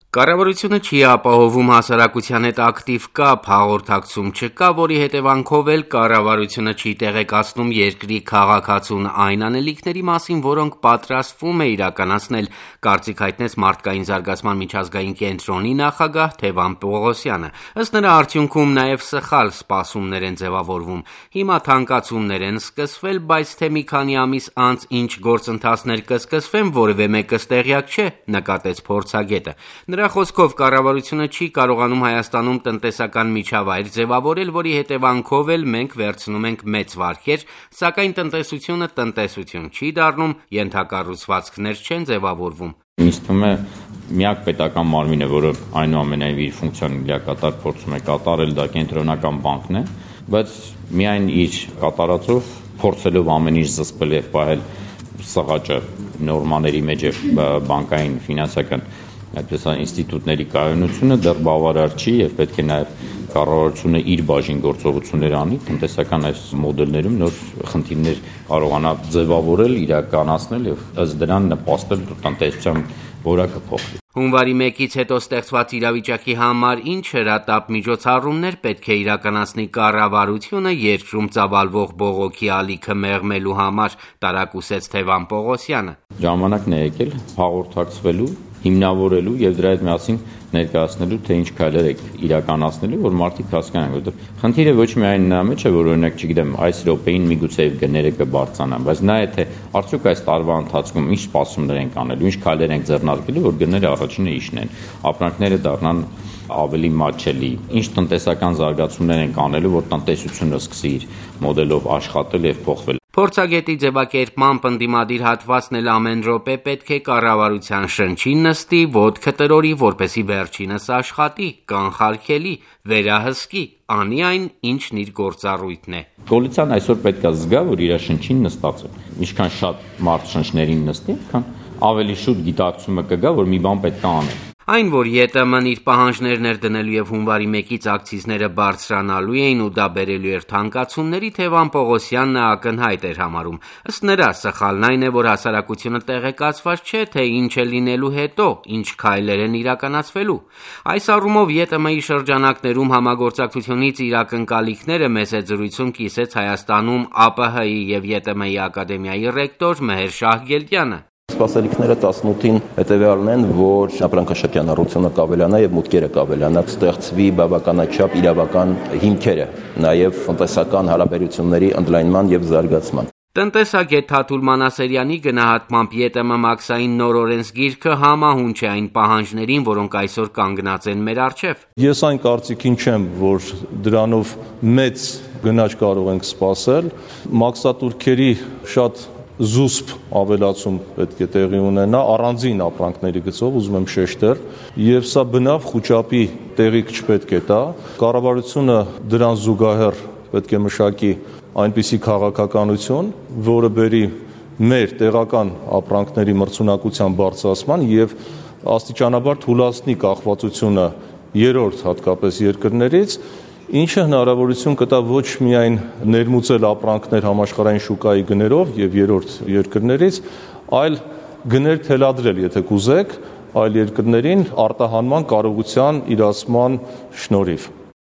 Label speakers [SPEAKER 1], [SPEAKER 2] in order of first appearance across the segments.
[SPEAKER 1] Կառավարությունը չի ապահովում հասարակության հետ ակտիվ կապ, հաղորդակցում չկա, որի հետևանքով էլ կառավարությունը չի տեղեկացնում երկրի քաղաքացուն այն անելիքների մասին, որոնք պատրաստվում է իրականացնել, կարծիք հայտնեց Մարդկային զարգացման միջազգային կենտրոնի նախագահ Թևան Պողոսյանը։ Ըստ նրա, արդյունքում նաև սխալ սպասումներ են ձևավորվում։ Հիմա թանկացումներ են սկսվել, բայց թե մի քանի ամիս անց ինչ գործընթացներ կսկսվեն, որևէ մեկս տեղյակ չէ, նկատեց փորձագետը։ Նրա խոսքով կառավարությունը չի կարողանում Հայաստանում տնտեսական միջավայր ձևավորել, որի հետևանքով էլ մենք վերցնում ենք մեծ վարկեր, սակայն տնտեսությունը տնտեսություն չի դառնում, ենթակառուցվածքներ չեն ձևավորվում։
[SPEAKER 2] Ինձ թվում է միակ պետական մարմինը, որը այնուամենայնիվ իր ֆունկցիան լիակատար փորձում է կատարել, դա կենտրոնական բանկն է, բայց միայն իր կատարածով փորձելով ամեն ինչ զսպել եւ պահել սղաճը նորմաների մեջ եւ բանկային ֆինանսական այդպես ինստիտուտների կայունությունը դեռ բավարար չի եւ պետք է նաեւ կառավարությունը իր բաժին գործողություններ անի տնտեսական այս մոդելներում նոր խնդիրներ կարողանա ձևավորել, իրականացնել եւ ըստ դրան նպաստել տնտեսության որակը փոխվի։
[SPEAKER 1] Հունվարի 1-ից հետո ստեղծված իրավիճակի համար ինչ հրատապ միջոցառումներ պետք է իրականացնի կառավարությունը երկրում ծավալվող բողոքի ալիքը մեղմելու համար, տարակուսեց Թևան Պողոսյանը։
[SPEAKER 2] Ժամանակն է եկել հաղորդակցվելու, հիմնավորելու եւ դրա հետ միասին ներկայացնելու, թե ինչ քայլեր եք իրականացնելու, որ մարդիկ հասկանան, որովհետեւ խնդիրը ոչ միայն նա մեջ է, որ օրինակ, չգիտեմ, այս րոպեին միգուցե գները կբարձրանան, բայց նա է թե արդյոք այս տարվա ընթացքում ինչ սպասումներ ենք անելու, ինչ քայլեր ենք ձեռնարկելու, որ գները առաջինը իշնեն, ապրանքները դառնան ավելի մատչելի, ինչ տնտեսական զարգացումներ ենք անելու, որ տնտեսությունը սկսի իր մոդելով աշխատել եւ փոխվել։
[SPEAKER 1] Փորձագետի ձևակերպմամբ ընդդիմադիր հատվածն էլ ամեն րոպե պետք է կառավարության շնչին նստի, ոտքը տրորի, որպեսի վերջինս աշխատի, կանխարգելի, վերահսկի, անի այն, ինչն իր գործառույթն է։
[SPEAKER 2] Կոալիցիան այսօր պետք է զգա, որ իր շնչին նստած է։ Ինչքան շատ մարդ շնչներին նստի, այնքան ավելի շուտ գիտակցումը կգա, որ մի բան պետք է անել։
[SPEAKER 1] Այն, որ ԵՏՄ-ն իր պահանջներն էր դնելու եւ հունվարի 1-ից ակցիզները բարձրանալու էին ու դա բերելու էր թանկացումների, Թևան Պողոսյանն ակնհայտ էր համարում։ Ըստ նրա, սխալն այն է, որ հասարակությունը տեղեկացված չէ, թե ինչ է լինելու հետո, ինչ քայլեր են իրականացվելու։ Այս առումով ԵՏՄ-ի շրջանակներում համագործակցությունից իր ակնկալիքները մեծ զրույցում կիսեց Հայաստանում ԱՊՀ-ի եւ ԵՏՄ-ի ակադեմիայի ռեկտոր Մեհեր Շահգելդյանը։
[SPEAKER 3] Սպասելիքները 18-ին հետևյալն են, որ ապրանքաշրջանառությունը կավելանա եւ մուտքերը կավելանա, ստեղծվի բավականաչափ իրավական հիմքերը, նաեւ տնտեսական հարաբերությունների ընդլայնման եւ զարգացման։
[SPEAKER 1] Տնտեսագետ Թաթուլ Մանասերյանի գնահատմամբ ԵՏՄ մաքսային նոր օրենսգիրքը համահունչ է այն պահանջներին, որոնք այսօր կանգնած են մեր առջև։
[SPEAKER 4] Ես այն կարծիքին չեմ, որ դրանով մեծ գնաճ կարող ենք սպասել, մաքսատուրքերի շատ զուսպ ավելացում պետք է տեղի ունենա առանձին ապրանքների գծով, ուզում եմ շեշտել, եւ սա բնավ խոճապի տեղիք չպետք է տա։ Կառավարությունը դրան զուգահեռ պետք է մշակի այնպիսի քաղաքականություն, որը բերի մեր տեղական ապրանքների մրցունակության բարձրացման եւ աստիճանաբար թուլացնի կախվածությունը երրորդ հատկապես երկրներից, ինչը հնարավորություն կտա ոչ միայն ներմուծել ապրանքներ համաշխարհային շուկայի գներով եւ երրորդ երկրներից, այլ գներ թելադրել, եթե կուզեք, այլ երկրներին արտահանման կարողության իրացման շնորհիվ։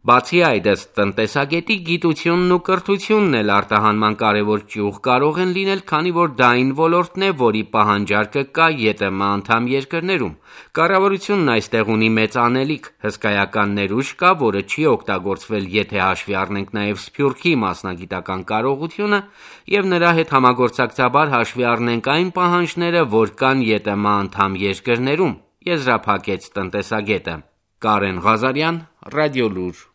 [SPEAKER 1] Բացի այդ, ըստ տնտեսագետի, գիտությունն ու կրթությունն էլ արտահանման կարևոր ճյուղ կարող են լինել, քանի որ դա այն ոլորտն է, որի պահանջարկը կա ԵՏՄ անդամ երկրներում։ Կառավարությունն այստեղ ունի մեծ անելիք, հսկայական ներուժ կա, որը չի օգտագործվել, եթե հաշվի առնենք նաև Սփյուռքի մասնագիտական կարողությունը եւ նրա հետ համագործակցաբար հաշվի առնենք այն պահանջները, որ կան ԵՏՄ անդամ երկրներում, եզրափակեց տնտեսագետը։ Կարեն Ղազարյան, Ռադիոլուր։